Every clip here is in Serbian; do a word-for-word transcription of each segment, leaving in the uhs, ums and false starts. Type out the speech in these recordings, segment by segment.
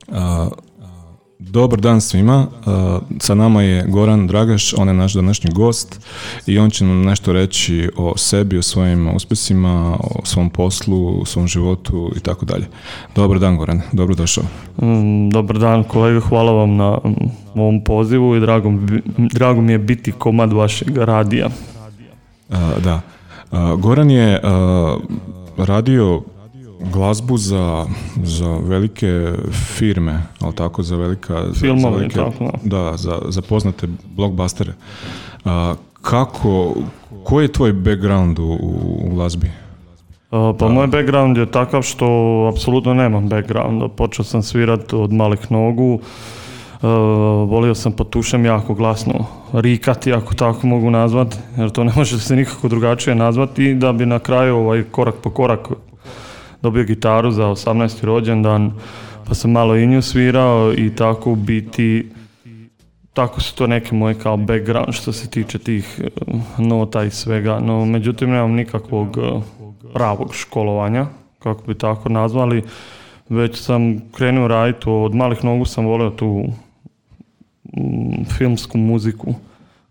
Uh, dobar dan svima, uh, sa nama je Goran Dragaš, on je naš današnji gost i on će nam nešto reći o sebi, o svojim uspjesima, o svom poslu, o svom životu i tako dalje. Dobar dan Goran, dobro došao. Mm, dobar dan kolega, hvala vam na ovom pozivu i drago, drago mi je biti komad vašeg radija. Uh, da, uh, Goran je uh, radio glazbu za, za velike firme, ali tako, za velika... Filmove, za velike, tako. Da, za, za poznate blockbustere. A, kako, koji je tvoj background u, u glazbi? A, pa da. Moj background je takav što apsolutno nemam background. Počeo sam svirati od malih nogu. Uh, volio sam pod tušem jako glasno rikati, ako tako mogu nazvati, jer to ne može se nikako drugačije nazvati, da bi na kraju ovaj, korak po korak dobio gitaru za osamnaesti rođendan, pa sam malo i nju svirao i tako u biti, tako su to neke moje kao background što se tiče tih nota i svega, no međutim nemam nikakvog pravog školovanja, kako bi tako nazvali, već sam krenuo raditi, od malih nogu sam volio tu mm, filmsku muziku,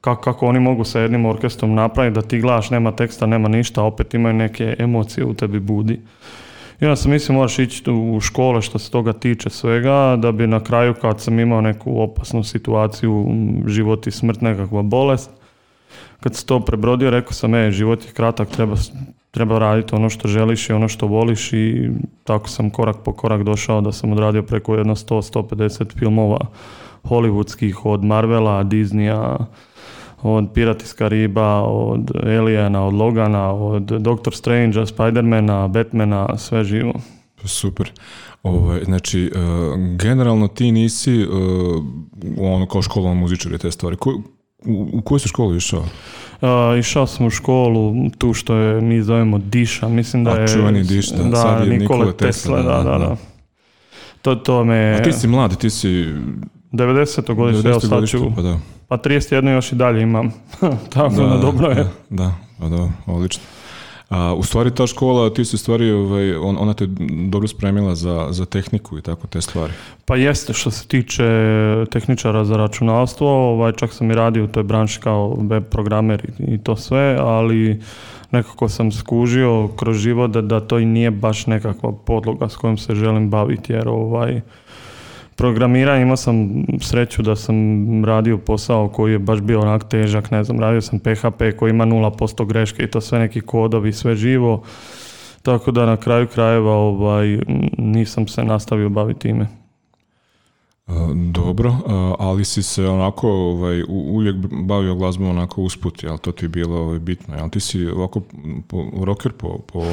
kako, kako oni mogu sa jednim orkestrom napraviti da ti gledaš, nema teksta, nema ništa, opet imaju neke emocije u tebi budi. I onda sam mislio moraš ići u škole što se toga tiče svega, da bi na kraju kad sam imao neku opasnu situaciju, život i smrt, nekakva bolest, kad se to prebrodio, rekao sam, e, život je kratak, treba, treba raditi ono što želiš i ono što voliš i tako sam korak po korak došao da sam odradio preko jedno sto do sto pedeset filmova hollywoodskih, od Marvela, Disneya, od Pirati iz Kariba, od Aliena, od Logana, od Doctor Strangea, Spidermana, Batmana, sve živo. Super. Ove, znači, uh, generalno ti nisi uh, ono kao školovan muzičar i te stvari. Ko, u, u koju si školu išao? Uh, išao sam u školu, tu što je, mi zovemo Diša, mislim da je... A čuveni Diš, da, da, sad je Nikole, Nikole Tesla, Tesla, da, da, da. To, to me... A ti si mladi, ti si... devedesetog godište, evo sad ću... Pa da. Pa trideset jedan još i dalje imam. Tako da, dobro je. Da, da, pa da, odlično. A, u stvari ta škola, ti si u stvari, ovaj, on, ona te dobro spremila za, za tehniku i tako te stvari. Pa jeste, što se tiče tehničara za računalstvo, ovaj, čak sam i radio u toj branši kao web programer i, i to sve, ali nekako sam skužio kroz život da, da to i nije baš nekakva podloga s kojom se želim baviti, jer ovaj... programiranje, imao sam sreću da sam radio posao koji je baš bio onak težak, ne znam, radio sam P H P koji ima nula posto greške i to sve neki kodovi, sve živo, tako da na kraju krajeva ovaj, nisam se nastavio baviti time. Dobro, ali si se onako ovaj, uvijek bavio glazbom onako usput, jel to ti je bilo ovaj, bitno, jel ti si ovako po, rocker po, po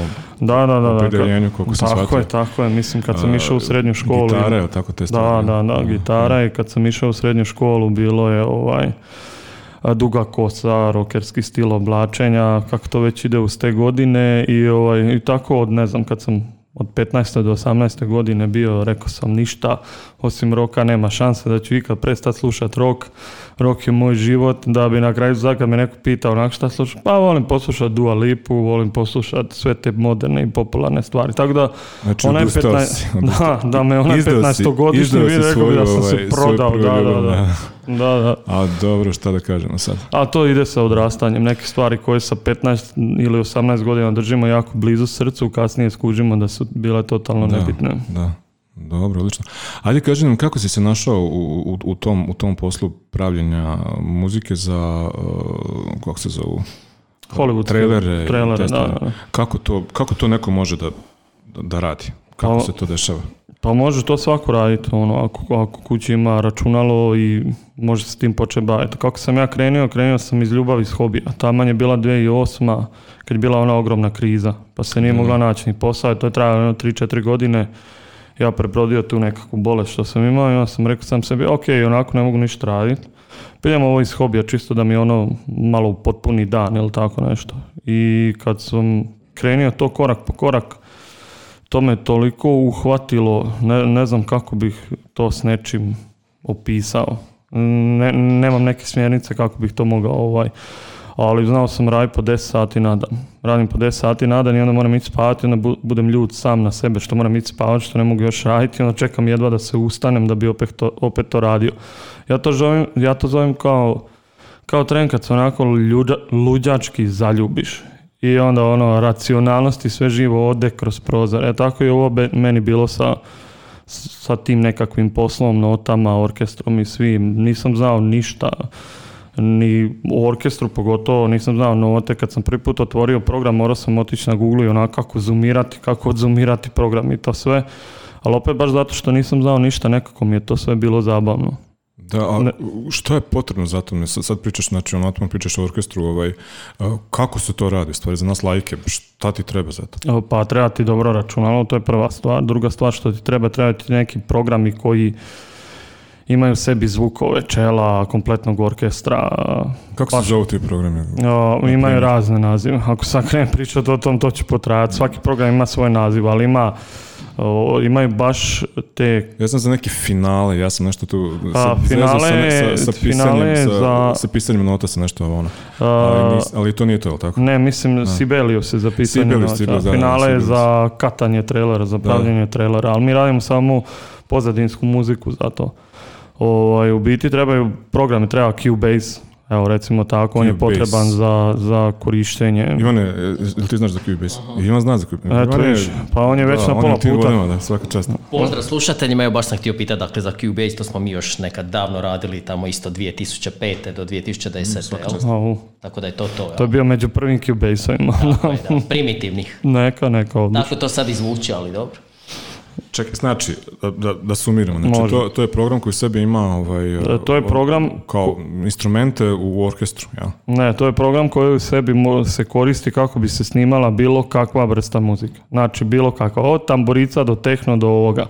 da, da, da, opredeljenju, koliko sam shvatio. Tako je, tako je, mislim kad sam išao u srednju školu. Gitara, jel tako te stvari? Da, da, da, gitara i kad sam išao u srednju školu bilo je ovaj duga kosa, rockerski stil oblačenja, kako to već ide uz te godine i, ovaj, i tako od, ne znam, kad sam od petnaeste do osamnaeste godine bio, rekao sam ništa, osim roka nema šanse da ću ikad prestati slušati rock. Rock je moj život, da bi na kraju sad kad me neko pitao onak šta slušam, pa volim poslušati Dua Lipu, volim poslušati sve te moderne i popularne stvari. Tako da, znači, onaj petnaest, da, da me onaj petnaestogodišnji vidio, rekao bi da sam se prodao, da, da, da. Da, da. A dobro, šta da kažemo sad? A to ide sa odrastanjem. Neke stvari koje sa petnaest ili osamnaest godina držimo jako blizu srcu, kasnije skužimo da su bile totalno da, nebitne. Da, dobro, odlično. Ajde kaži nam kako si se našao u, u, u, tom, u tom poslu pravljenja muzike za, uh, kako se zovu? Hollywood. Trailere. Trailere, da, da. Kako to, kako to neko može da, da, da radi? Kako pa, se to dešava? Pa može to svako raditi, ono, ako, ako kući ima računalo i može se s tim početi baviti. Kako sam ja krenuo, krenuo sam iz ljubavi, iz hobija. Taman je bila dvije tisuće osma kad je bila ona ogromna kriza, pa se nije mogla naći ni posao, to je trajalo tri četiri godine. Ja prebrodio tu nekakvu bolest što sam imao i onda sam rekao sam sebi, ok, onako ne mogu ništa raditi. Piljem ovo iz hobija, čisto da mi ono malo potpuni dan ili tako nešto. I kad sam krenuo to korak po korak, to me toliko uhvatilo, ne, ne znam kako bih to s nečim opisao. Ne, nemam neke smjernice kako bih to mogao ovaj, ali znao sam raditi po deset sati na dan. Radim po deset sati na dan i onda moram ići spavati, onda budem ljut sam na sebe što moram ići spavati, što ne mogu još raditi, onda čekam jedva da se ustanem da bi opet to, opet to radio. Ja to zovem, ja to zovem kao, kao tren kad se onako ljuđa, luđački zaljubiš. I onda ono, racionalnost i sve živo ode kroz prozor. E tako je ovo be, meni bilo sa, sa tim nekakvim poslom, notama, orkestrom i svim. Nisam znao ništa, ni u orkestru pogotovo, nisam znao note. Kad sam prvi put otvorio program, morao sam otići na Google i onako kako zoomirati, kako odzoomirati program i to sve. Ali opet baš zato što nisam znao ništa, nekako mi je to sve bilo zabavno. Da, a što je potrebno za to? Sad pričaš, znači onatmo pričaš o orkestru, ovaj, kako se to radi, stvari za nas lajke, šta ti treba za to? Pa treba ti dobro računalo, to je prva stvar. Druga stvar što ti treba, treba ti neki programi koji imaju u sebi zvukove, čela, kompletnog orkestra. Kako se zovu ti programi? O, imaju razne nazive. Ako sad krenem pričati o tom, to će potrajati. Svaki program ima svoj naziv, ali ima O, imaju baš te... Ja sam za neke finale, ja sam nešto tu... A, finale, sa, sa, sa, pisanjem, sa, za... sa pisanjem nota se nešto ono. Ali, nis, ali to nije to, je tako? Ne, mislim A. Sibelius je za pisanje Sibelius, nota. Da, finale da, je za katanje trailera, za pravljenje trailera, ali mi radimo samo pozadinsku muziku za to. O, u biti trebaju programe, treba Cubase. Evo, recimo tako, on je potreban za, za korištenje. Ivane, jel ti znaš za Cubase? Ivan zna za Cubase. Eto viš, pa on je već da, na pola puta. Volima, da, svaka čast. Pozdrav slušateljima, evo baš sam htio pitati, dakle za Cubase, to smo mi još nekad davno radili, tamo isto dvije tisuće pete do dvije tisuće desete, jel? Tako da je to to, jel? To je bio među prvim Cubase-ovima. Tako je, da, primitivnih. Neka, neka odlično. Tako to sad izvuči, ali dobro. Čekaj, znači, da, da, da sumiramo, znači to, to je program koji sebi ima ovaj, to je program kao instrumente u orkestru, jel? Ne, to je program koji u sebi se koristi kako bi se snimala bilo kakva vrsta muzike. Znači, bilo kakva, od tamburica do tehno do ovoga.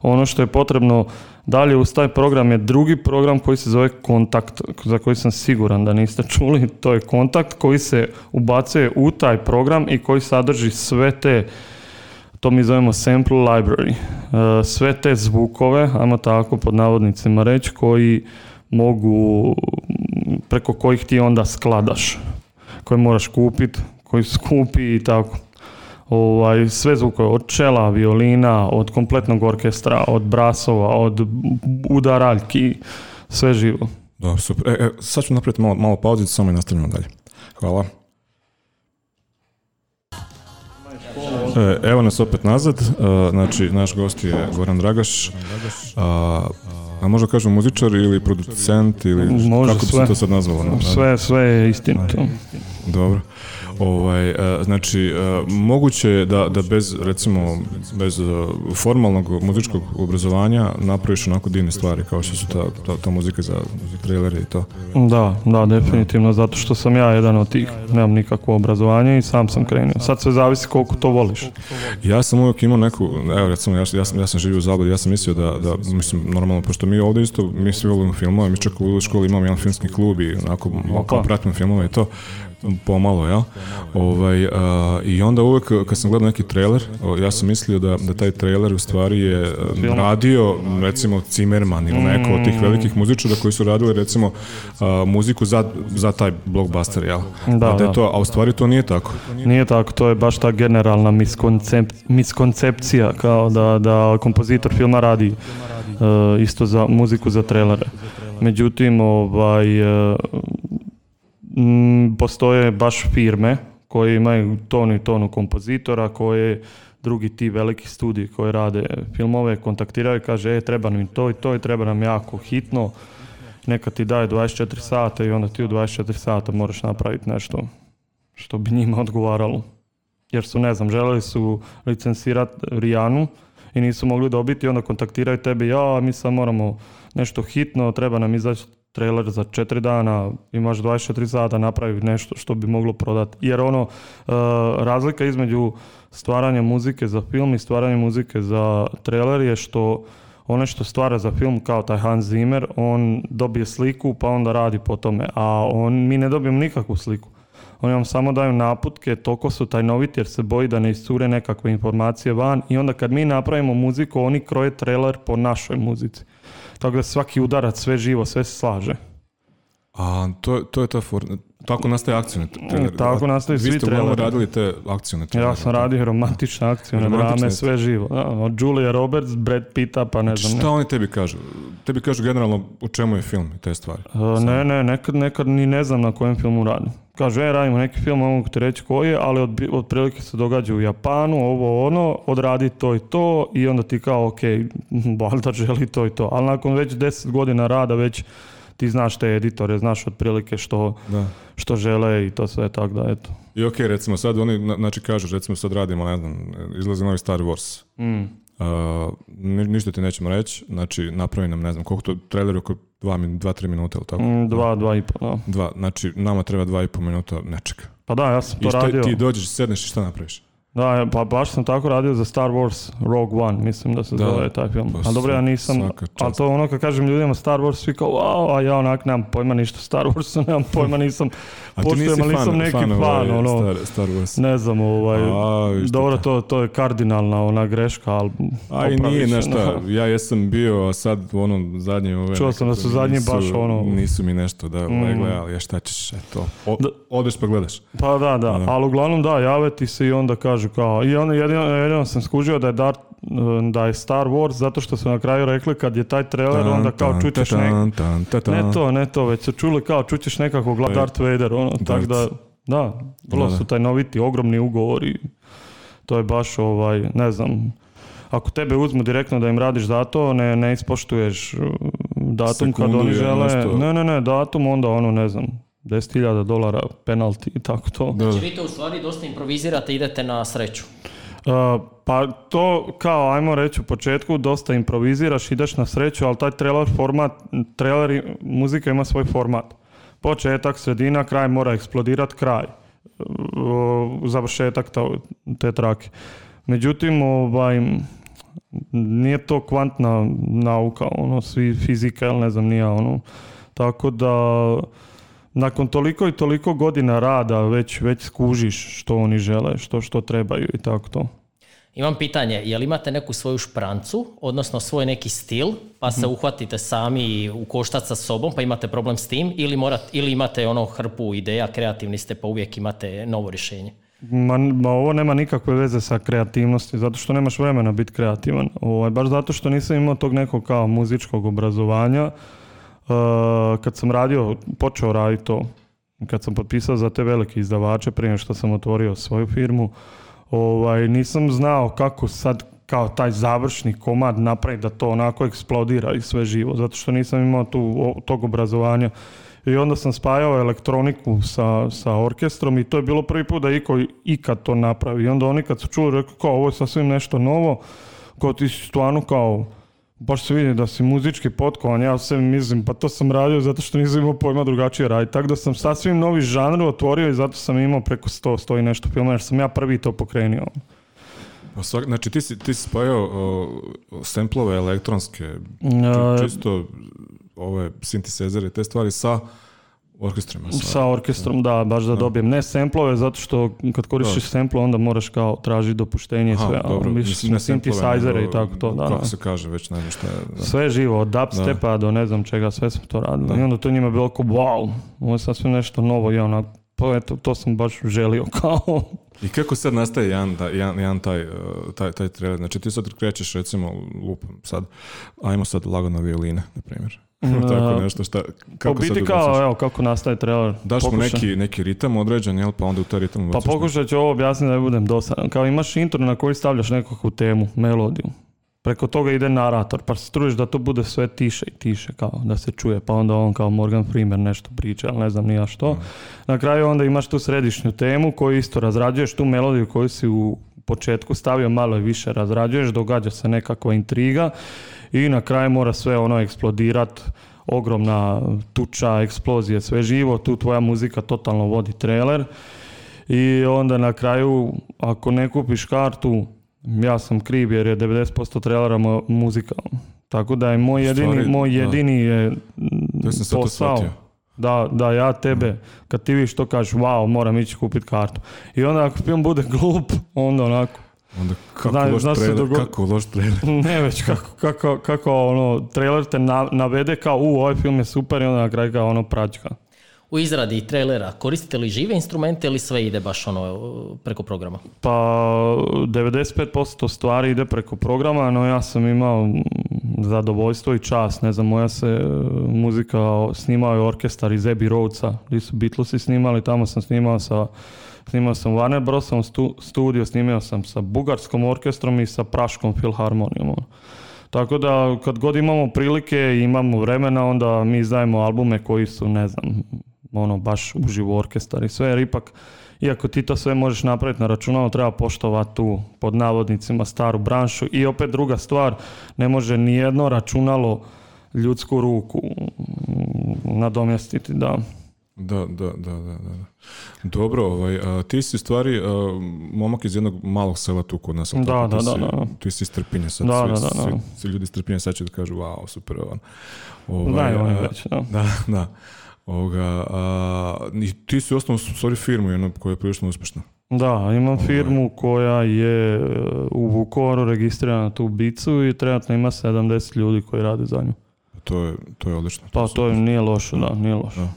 Ono što je potrebno dalje uz taj program je drugi program koji se zove Kontakt, za koji sam siguran da niste čuli. To je Kontakt koji se ubacuje u taj program i koji sadrži sve te, to mi zovemo sample library, sve te zvukove, ajmo tako pod navodnicima reći, koji mogu, preko kojih ti onda skladaš, koje moraš kupiti, koji su skupi i tako. Ovaj, sve zvukove, od čela, violina, od kompletnog orkestra, od brasova, od udaraljki, sve živo. Da, super. E, e, sad ću napraviti malo, malo pauzicu, samo i nastavljamo dalje. Hvala. E, evo nas opet nazad, uh, znači naš gost je Goran Dragaš, a, a možda kažemo muzičar ili producent ili može, kako bi sve, se to sad nazvalo? No? Sve, sve je istinito. Dobro. Ovaj, uh, znači, uh, moguće je da, da bez, recimo, bez uh, formalnog muzičkog obrazovanja napraviš onako divne stvari kao što su ta, ta, ta muzika za trailere i to. Da, da, definitivno, zato što sam ja jedan od tih, nemam nikakvo obrazovanje i sam sam krenio. Sad sve zavisi koliko to voliš. Ja sam uvijek imao neku, evo recimo, ja, ja, sam, ja sam živio u Zabladi, ja sam mislio da, da, mislim, normalno, pošto mi ovdje isto, mi svi volimo filmove, mi čak u školi imamo jedan filmski klub i onako, kao pratimo filmove i to, pomalo, jel? Ovaj, a, i onda uvijek kad sam gledao neki trailer, ja sam mislio da, da taj trailer u stvari je film radio, recimo, Zimmerman ili neko od tih velikih muzičara koji su radili, recimo, a, muziku za, za taj blockbuster, jel? Da, a, da da. To, a u stvari to nije tako. Nije tako, to je baš ta generalna miskoncep, miskoncepcija, kao da, da kompozitor filma radi uh, isto za muziku za trailere. Međutim, ovaj... Uh, Mm, postoje baš firme koje imaju tonu i tonu kompozitora, koje drugi ti veliki studiji koji rade filmove kontaktiraju i kaže e, treba nam to i to i treba nam jako hitno, neka ti daje dvadeset četiri sata i onda ti u dvadeset četiri sata moraš napraviti nešto što bi njima odgovaralo. Jer su, ne znam, želeli su licencirati Rijanu i nisu mogli dobiti i onda kontaktiraju tebe, ja, mi sad moramo nešto hitno, treba nam izaći trailer za četiri dana, imaš dvadeset četiri sata napraviti nešto što bi moglo prodati. Jer ono, uh, razlika između stvaranja muzike za film i stvaranja muzike za trailer je što ono što stvara za film kao taj Hans Zimmer, on dobije sliku pa onda radi po tome, a on, mi ne dobijemo nikakvu sliku. Oni vam samo daju naputke, toliko su tajnoviti jer se boji da ne iscure nekakve informacije van i onda kad mi napravimo muziku, oni kroje trailer po našoj muzici. Tako da svaki udarac, sve živo, sve se slaže. A to, to je ta for... Tako nastaje akcijne traileri. Tako nastaje svi traileri. Vi ste radili te akcijne traileri. Ja sam radio romantične akcijne drame, sve živo. Da, od Julia Roberts, Brad Pitta, pa ne znam. Šta ne. Oni tebi kažu? Tebi kažu generalno o čemu je film i te stvari? Uh, ne, ne, nekad, nekad ni ne znam na kojem filmu radim. Kažu, e, radimo neki film, mogu ti reći koji je, ali od, od prilike se događa u Japanu, ovo ono, odradi to i to i onda ti kao, ok, valjda želi to i to. Ali nakon već deset godina rada, već ti znaš te editore, znaš otprilike što, što žele i to sve tako da, eto. I ok, recimo sad oni, znači kažu, recimo sad radimo, ne znam, izlazi novi Star Wars. Mm. Uh, ni, ništa ti nećemo reći, znači napravi nam, ne znam, koliko to trailer oko dva, dva, tri minuta, ili tako? Mm, dva, dva i po, da. Dva, znači nama treba dva i po minuta nečega. Pa da, ja sam to I šta, radio. ti dođeš, sedneš i šta napraviš? Da, pa baš sam tako radio za Star Wars Rogue One, mislim da se da, zove taj film. Pa ali dobro, ja nisam, ali to ono kad kažem ljudima Star Wars, svi kao wow, a ja onak nemam pojma ništa Star Warsu, nemam pojma, nisam poštujem, ali nisam neki fan, fan ono, Star, Star Wars. Ne znam, ovaj, a, dobro, to, to je kardinalna ona greška, ali a i nije nešto, ja jesam bio, a sad u onom zadnjem ove, čuo sam da su zadnji nisu, baš ono, nisu mi nešto da mm. gledali, ja šta ćeš, eto, o, odeš pa gledaš. Pa da, da, da. Ali uglavnom da, jave ti se i onda kažu kao, i onda jedino, jedino sam skužio da je, Darth, da je Star Wars zato što su na kraju rekli kad je taj trailer onda kao čućeš nek... Ne to, ne to, već su čuli kao čućeš nekako glas Darth Vader, ono, tako da, da, vrlo su taj noviti, ogromni ugovori, to je baš, ovaj, ne znam, ako tebe uzmu direktno da im radiš za to, ne, ne ispoštuješ datum sekundu kad oni žele, nešto. ne, ne, ne, datum, onda ono, ne znam, deset hiljada dolara penalti i tako to. Znači vi to u stvari dosta improvizirate i idete na sreću? Uh, pa to kao, ajmo reći u početku, dosta improviziraš, ideš na sreću, ali taj trailer format, trailer muzika ima svoj format. Početak, sredina, kraj mora eksplodirat, kraj. Uh, završetak te, te trake. Međutim, ovaj, nije to kvantna nauka, ono, svi fizika, ili ne znam, nije ono. Tako da nakon toliko i toliko godina rada već, već skužiš što oni žele, što, što trebaju i tako to. Imam pitanje, je li imate neku svoju šprancu, odnosno svoj neki stil, pa se uhvatite sami u koštac sa sobom, pa imate problem s tim, ili, morat, ili imate ono hrpu ideja, kreativni ste, pa uvijek imate novo rješenje? Ma, ma ovo nema nikakve veze sa kreativnosti, zato što nemaš vremena biti kreativan. Ovo, baš zato što nisam imao tog nekog kao muzičkog obrazovanja. Uh, kad sam radio, počeo raditi to, kad sam potpisao za te velike izdavače prije što sam otvorio svoju firmu, ovaj, nisam znao kako sad kao taj završni komad napraviti da to onako eksplodira i sve živo, zato što nisam imao tu, o, tog obrazovanja. I onda sam spajao elektroniku sa, sa orkestrom i to je bilo prvi put da iko ikad to napravi. I onda oni kad su čuli, rekao kao ovo je sasvim nešto novo, kao ti si stvarno kao, baš se vidi da si muzički potkovan, ja sve mislim, pa to sam radio zato što nisam imao pojma drugačije raditi. Tako da sam sasvim novi žanr otvorio i zato sam imao preko sto, sto i nešto filma, jer sam ja prvi to pokrenio. Pa svak, znači ti si, ti si spajao samplove elektronske, čisto ove sintisezere, te stvari sa orkestrima. Sa, sa orkestrom, da, baš da, da dobijem. Ne samplove, zato što kad koristiš sample, onda moraš kao tražiti dopuštenje i sve. Dobro, mislim, synthesizere i tako to. Da, kako da. se kaže, već ne znam šta je. Da. Sve živo, od dubstepa do ne znam čega, sve smo to radili. Da. I onda to njima bilo kao, wow, ovo je sasvim nešto novo i onak, pa eto, to sam baš želio kao. I kako sad nastaje jedan, jedan, jedan taj, taj, taj trailer? Znači ti sad krećeš recimo lupom sad, ajmo sad lagano violine, na primjer. Tako nešto šta, kako biti sad kao, evo, kako nastaje trailer. Daš mu neki, neki ritam određen, jel, pa onda u taj ritam pa pokušat ću ovo objasniti da ne budem dosadan. Kao imaš intro na koji stavljaš nekakvu temu, melodiju. Preko toga ide narator, pa se trudiš da to bude sve tiše i tiše, kao da se čuje, pa onda on kao Morgan Freeman nešto priča, ali ne znam ni ja što. Mm. Na kraju onda imaš tu središnju temu koju isto razrađuješ, tu melodiju koju si u početku stavio, malo i više razrađuješ, događa se nekakva intriga i na kraju mora sve ono eksplodirat, ogromna tuča, eksplozije, sve živo, tu tvoja muzika totalno vodi trailer i onda na kraju ako ne kupiš kartu, ja sam kriv jer je devedeset posto trailera muzika. Tako da je moj jedini, Stvari, moj jedini je posao da, da ja tebe, kad ti vidiš to kažeš, wow, moram ići kupiti kartu. I onda ako film bude glup, onda onako. Onda kako Zna, loš trailer, dogo... kako loš trailer. Ne već, kako, kako, kako ono, trailer te na, navede kao, u, ovaj film je super i onda na kraju kao ono praćka. u izradi trailera, koristite li žive instrumente ili sve ide baš ono preko programa? Pa devedeset pet posto stvari ide preko programa, no ja sam imao zadovoljstvo i čast, ne znam, moja se muzika snimao je orkestar iz Abbey Roadsa, gdje su Beatlesi snimali, tamo sam snimao sa snimao sam Warner Brosom stu, studio, snimao sam sa bugarskom orkestrom i sa praškom filharmonijom. Tako da kad god imamo prilike i imamo vremena, onda mi izdajemo albume koji su, ne znam, ono baš uživo orkestar i sve, jer ipak, iako ti to sve možeš napraviti na računalu, treba poštovati tu, pod navodnicima, staru branšu. I opet druga stvar, ne može nijedno računalo ljudsku ruku nadomjestiti, da. Da, da, da, da, da. Dobro, ovaj, a, ti si u stvari a, momak iz jednog malog sela tu kod nas. Da, da, da, si, da, da. Ti si iz Trpinje sad. Da, svi, da, da, da. Svi, svi ljudi iz Trpinje sad će da kažu, wow, super. Ovaj, Znaju oni već, da. Da, da. Ovoga, a, i ti si osnovno u stvari firmu jednu koja je prilično uspješna. Da, imam firmu koja je u Vukovaru registrirana tu Bicu i trenutno ima sedamdeset ljudi koji rade za nju. To je, to je odlično. Pa to je, nije loše, da, nije loše. Da.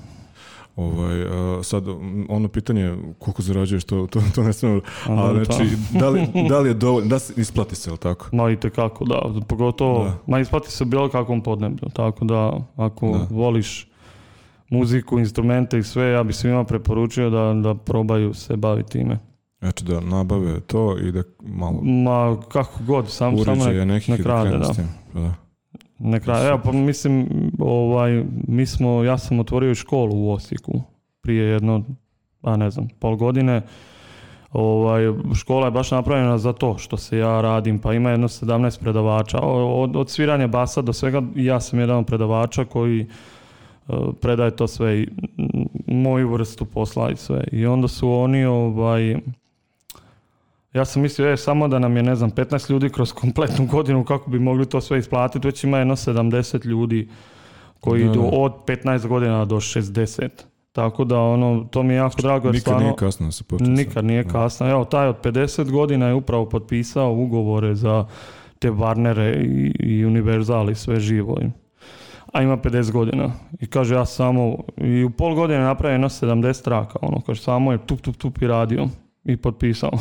Ovaj, a, sad, ono pitanje koliko zarađuješ, to, to, to ne smemo, ali znači, da li, da li je dovoljno, da se isplati se, ili tako? Ma itekako, da, pogotovo, da. Ma isplati se bilo kakvom podneblju, tako da ako da. voliš muziku, instrumente i sve, ja bih svima preporučio da, da probaju se baviti time. Znači da nabave to i da malo... Ma kako god, sam, samo nek, nek rade, da. da. Nek rade, evo pa mislim, ovaj, mi smo, ja sam otvorio školu u Osijeku prije jedno, a ne znam, pol godine. Ovaj, škola je baš napravljena za to što se ja radim, pa ima jedno sedamnaest predavača. Od, od sviranja basa do svega, ja sam jedan od predavača koji predaje to sve i moju vrstu posla i sve. I onda su oni, ovaj, ja sam mislio, je, samo da nam je, ne znam, petnaest ljudi kroz kompletnu godinu, kako bi mogli to sve isplatiti, već ima jedno sedamdeset ljudi koji da, idu da. od petnaest godina do šezdeset. Tako da, ono, to mi je jako drago. Jer nikad stvarno, nije kasno da se počne. Nikad nije da. kasno. Evo, taj od pedeset godina je upravo potpisao ugovore za te Warnere i, i Universal i sve živo. A ima pedeset godina. I kaže, ja samo, i u pol godine napravio jedno sedamdeset traka, ono, kaže, samo je tup, tup, tup i radio i potpisao.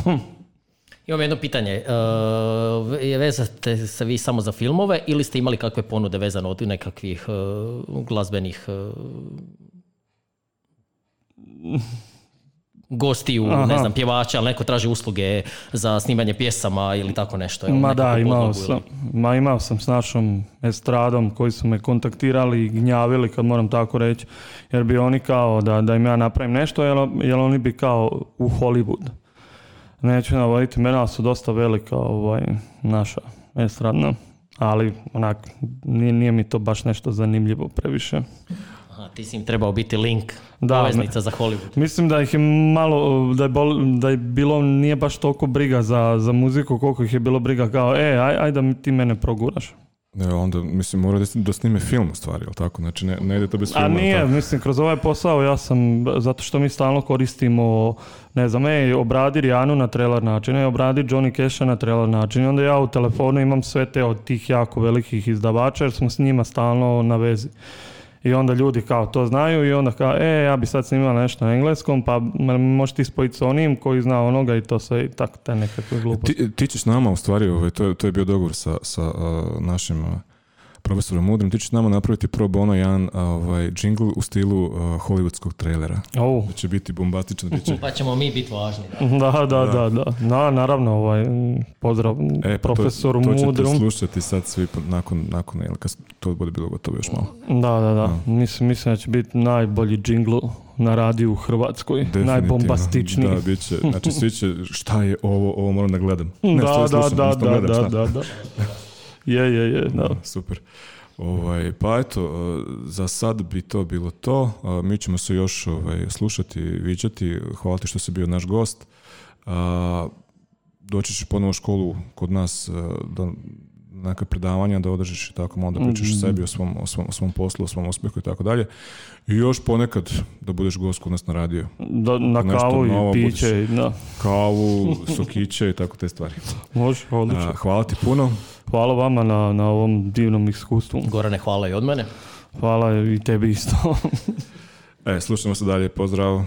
Imam jedno pitanje, uh, vezate se vi samo za filmove ili ste imali kakve ponude vezano od nekakvih uh, glazbenih uh, gostiju, Aha. ne znam, pjevača, ali neko traži usluge za snimanje pjesama ili tako nešto? Ma da, imao sam, ma imao sam s našom estradom koji su me kontaktirali i gnjavili, kad moram tako reći, jer bi oni kao da, da im ja napravim nešto, jer, jer oni bi kao u Hollywood. Neću navoditi, mena su dosta velika ovaj, naša estradna, ali onak, nije, nije mi to baš nešto zanimljivo previše. Aha, ti si im trebao biti link, da, poveznica za Hollywood. Mislim da ih je malo, da je, bol, da je bilo, nije baš toliko briga za, za muziku, koliko ih je bilo briga kao, e, aj, aj da ti mene proguraš. Ne, onda, mislim, mora da snime film u stvari, jel tako? Znači, ne, ne ide to bez filma. A nije, tako? Mislim, kroz ovaj posao ja sam, zato što mi stalno koristimo, ne znam, ej, obradi Rijanu na trailer način, ej, obradi Johnny Casha na trailer način. I onda ja u telefonu imam sve te od tih jako velikih izdavača, jer smo s njima stalno na vezi. I onda ljudi kao to znaju i onda kao, e, ja bi sad snimala nešto na engleskom, pa možeš ti spojiti s onim koji zna onoga i to sve i tako te nekakve gluposti. Ti, ti ćeš nama u stvari, ovaj, to, je, to je bio dogovor sa, sa uh, našim uh, profesorom Mudrim, ti ćeš nama napraviti pro bono jedan ovaj, džingl u stilu uh, hollywoodskog trailera. Oh. Da će biti bombastično. Će... Pa ćemo mi biti važni. Da, da, da. da, da. Na, naravno, ovaj, pozdrav e, pa profesoru to, to Mudrum. To ćete slušati sad svi nakon, nakon ili kad to bude bilo gotovo još malo. Da, da, da. No. Mislim, mislim da će biti najbolji džingl na radiju u Hrvatskoj. Najbombastičniji. Da, bit će. Znači, svi će, šta je ovo, ovo moram da gledam. Ne, ne, da, slušam, da, da, da, da, da. Je, je, je, da. Super. Ovaj, pa eto, za sad bi to bilo to. Mi ćemo se još ovaj, slušati, viđati. Hvala ti što si bio naš gost. Doći ćeš ponovo u školu kod nas da neka predavanja da održiš i tako, malo da pričaš o sebi, o svom, o, svom, o svom poslu, o svom uspjehu i tako dalje. I još ponekad da budeš gost kod nas na radio. Da, na nešto kavu novo, i piće. Da. Kavu, sokiće i tako te stvari. Može, odlično. Hvala ti puno. Hvala vama na, na ovom divnom iskustvu. Gorane, hvala i od mene. Hvala i tebi isto. E, slušamo se dalje, pozdrav.